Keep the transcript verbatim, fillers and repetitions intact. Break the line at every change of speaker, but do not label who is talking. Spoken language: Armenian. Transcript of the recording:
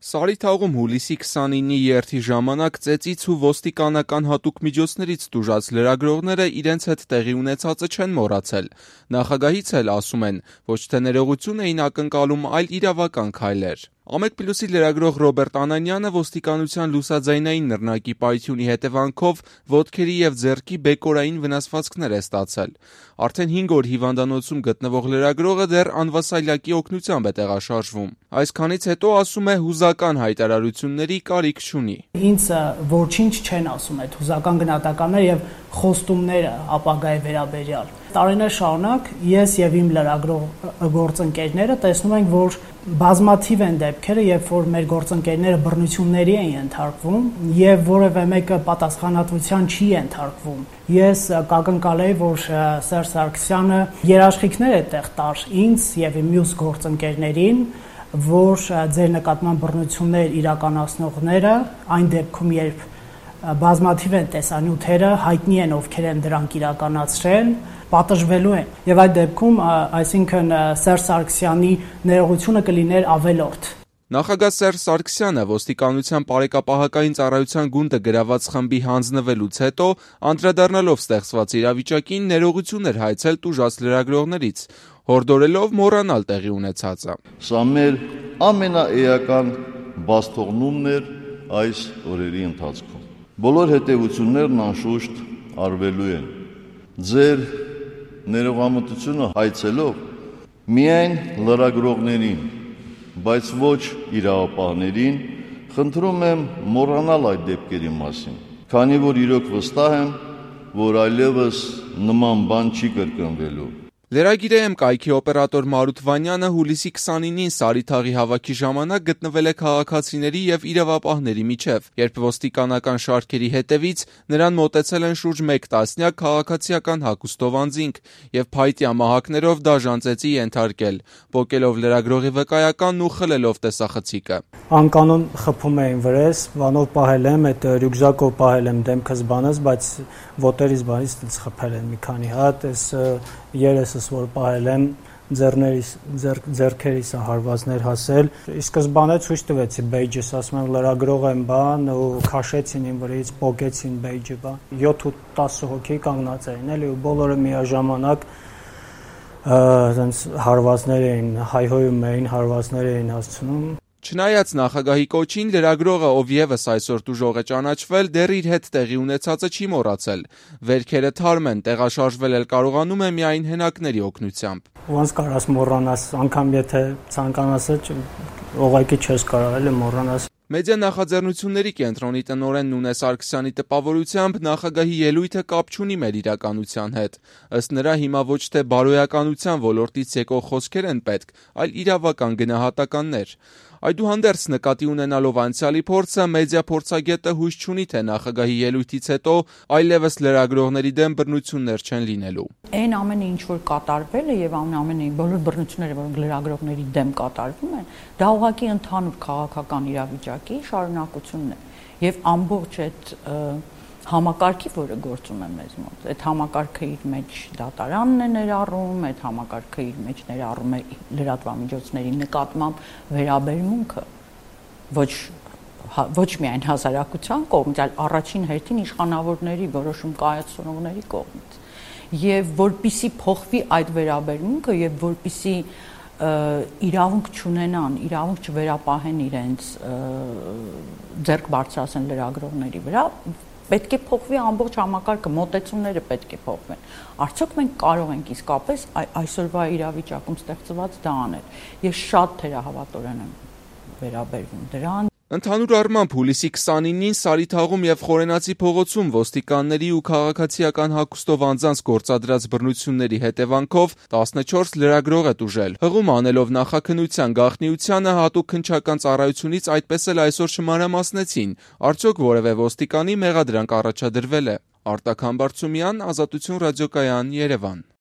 Սարիթաղում հուլիսի քսանինի երթի ժամանակ ծեծից ու ոստիկանական հատուկ միջոցներից տուժած լրագրողները իրենց հետ տեղի ունեցածը չեն մոռացել: Նախագահից էլ, ասում են, ոչ թե ներողություն էին ակնկալում, այլ իրավական քայլեր: Ամեկ-Պլյուսի լրագրող Ռոբերտ Անանյանը ոստիկանության լուսաձայնային նռնակի պայթյունի հետևանքով ոտքերի և ձեռքի բեկորային վնասվածքներ է ստացել: Արդեն հինգ օր հիվանդանոցում գտնվող լրագրողը դեռ անվասայլակի օգնությամբ է տեղաշարժվում: Այսքանից հետո, ասում է, հուզական հայտարարությունների կարիք չունի:
Ինձ ոչինչ չեն ասում այդ հուզական գնահատականները և խոստումները ապագայի վերաբերյալ: Տարիներ շարունակ ես և իմ լրագրող գործընկերները տեսնում ենք, որ բազմաթիվ են դեպքերը, երբ որ մեր գործընկերները բռնությունների են ենթարկվում և որևէ մեկը պատասխանատվության չի ենթարկվում: Ես կակնկալեի, որ Սերժ Սարգսյանը երաշխիքներ է տեղ տար ինձ և իմ մյուս գործընկերներին, որ ձեր նկատմամբ բռնություններ իրականացնողները, այն դեպքում, երբ բազմաթիվ են տեսանյութերը, հայտնի են ովքեր են դրանք իրականացրել, պատժվելու են: Եվ այդ դեպքում, այսինքն Սերժ Սարգսյանի ներողությունը կլիներ ավելորդ:
Նախագահ Սերժ Սարգսյանը ոստիկանության պարեկապահական ծառայության գունդը գրաված խմբի հանձնվելուց հետո, անդրադառնալով ստեղծված իրավիճակին, ներողություն էր հայցել տուժած լրագրողներից, հորդորելով մոռանալ տեղի ունեցածը:
Սա մեր ամենաէական բացթողումն էր այս օրերի ընթացքում: Բոլոր հետևություններն անշուշտ արվելու են: Ձեր ներողամտությունը հայցելով միայն լրագրողներին, բայց ոչ իրավապահներին, խնդրում եմ մոռանալ այդ դեպքերի մասին, քանի որ իրոք վստահ եմ, որ այլևս նման բան չի կրկնվելու:
Lragir.am կայքի օպերատոր Մարութ Վանյանը հուլիսի քսանինին Սարիթաղի հավաքի ժամանակ գտնվել է քաղաքացիների և իրավապահների միջև, երբ ոստիկանական շարքերի հետևից նրան մոտեցել են շուրջ մեկ տասնյակ քաղաքացիական հագուստով անձինք և փայտյա մահակներով դաժան ծեծի ենթարկել, պոկելով լրագրողի վկայականն ու խլելով տեսախցիկը:
Անկանոն խփում էին վրես, բանով պահել եմ, այդ ռյուկզակով պահել եմ դեմքս բանս, բայց ոտերիս բանից խփել են մի քանի հատ, երեսս որ պահել եմ, ձեռքերիս հարվածներ հասել: Ի սկզբանե ցույց տվեցի բեյջս, ասում եմ լրագրող եմ բան ու քաշեցին իմ վրայից, պոկեցին բեյջը, յոթ ու տասը հոգի կանգնած էին ու բոլորը միաժամանակ հարվածներ էին հայհոյում, հարվածներ էին հասցնում:
Չնայած նախագահի կոչին, լրագրողը, ով ևս այսօր տուժող է ճանաչվել, դեռ իր հետ տեղի ունեցածը չի մոռացել: Վերքերը թարմ են, տեղաշարժվել էլ կարողանում է միայն հենակների օգնությամբ:
Ոնց կարաս մոռանաս, անգամ եթե ցանկանաս, ուղղակի չես կարող մոռանալ:
Մեդիա նախաձեռնությունների կենտրոնի տնօրեն Նունե Սարգսյանի տպավորությամբ, նախագահի ելույթը կապ չունի մեր իրականության հետ: Ըստ նրա, հիմա ոչ թե բարոյականության ոլորտից եկող խոսքեր են պետք, այլ իրավական գնահատականներ: Այդուհանդերձ, նկատի ունենալով անցյալի փորձը, մեդիա փորձագետը հույս չունի, թե նախագահի ելույթից հետո այլևս լրագրողների դեմ բռնություններ չեն լինելու:
Այն ամենը, ինչ որ կատարվել է և բոլոր բռնությունները, որոնք լրագրողների դեմ կատարվում են, դա ուղղակի ընդհանուր քաղաքական իրավիճակի շարունակությունն է և ամբողջ այդ համակարգի, որը գործում է մեզ մոտ: Այդ համակարգը իր մեջ դատարանն է ներառում, այդ համակարգը իր մեջ ներառում է լրատվամիջոցների նկատմամբ վերաբերմունքը ոչ միայն հասարակության կողմից, այլ առաջին հերթին իշխանավորների, որոշում կայացնողների կողմից: Եվ որպեսզի փոխվի այդ վերաբերմունքը և որպեսզի իրավունք չունենան, իրավունք չվերապահեն իրենց, ձեռք բարձրացնեն լրագրողների վրա, պետք է փոխվի ամբողջ համակարգը, մոտեցումները պետք է փոխվեն: Արդյոք մենք կարող ենք իսկապես այսօրվա իրավիճակում ստեղծված դա անել: Ես շատ թերահավատորեն եմ վերաբերվում դրան:
Ընդհանուր առմամբ, հուլիսի քսանինին Սարիթաղում և Խորենացի փողոցում ոստիկանների ու քաղաքացիական հագուստով անձանց գործադրած բռնությունների հետևանքով տասնչորս լրագրող է տուժել: Հղում անելով նախաքննության գաղտնիությանը, Հատուկ քննչական ծառայությունից այդպես էլ այսօր չմանրամասնեցին՝ արդյոք որևէ ոստիկանի մեղադրանք առաջադրվե՞լ է: Արտակ Համբարձումյան, Ազատություն ռադիոկայան, Երևան: